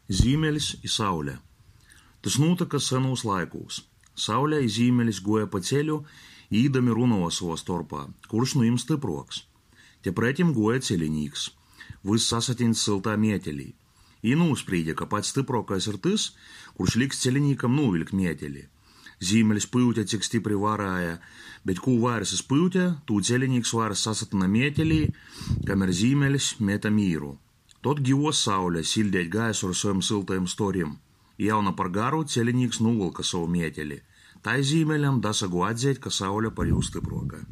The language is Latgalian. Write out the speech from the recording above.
Zīmelis i Saule. Tys nūtyka senūs laikūs. Saule i Zīmelis guoja pa ceļu i īdami runuoja sovā storpā, kurš nu jim stypruoks. Te pretim guoja celinīks, vyss sasatiņs syltā mietelī. Jī nūsprīde, ka pats stypruokais ir tys, kurš liks celinīkam nūviļkt mieteli. Zīmelis pyute, cik stypri varēja, bet kū vaira jis pyute, tū celinīks vaira sasatyna mietelī, kamēr Zīmelis mete mīru. Tod givuos Saule siļdeit gaisu ar sovim syltajim storim, i jau na par garu celinīks nūvylka sovu mieteli. Tai Zīmeļam dasaguoja atzeit, ka Saule par jū stypruoka.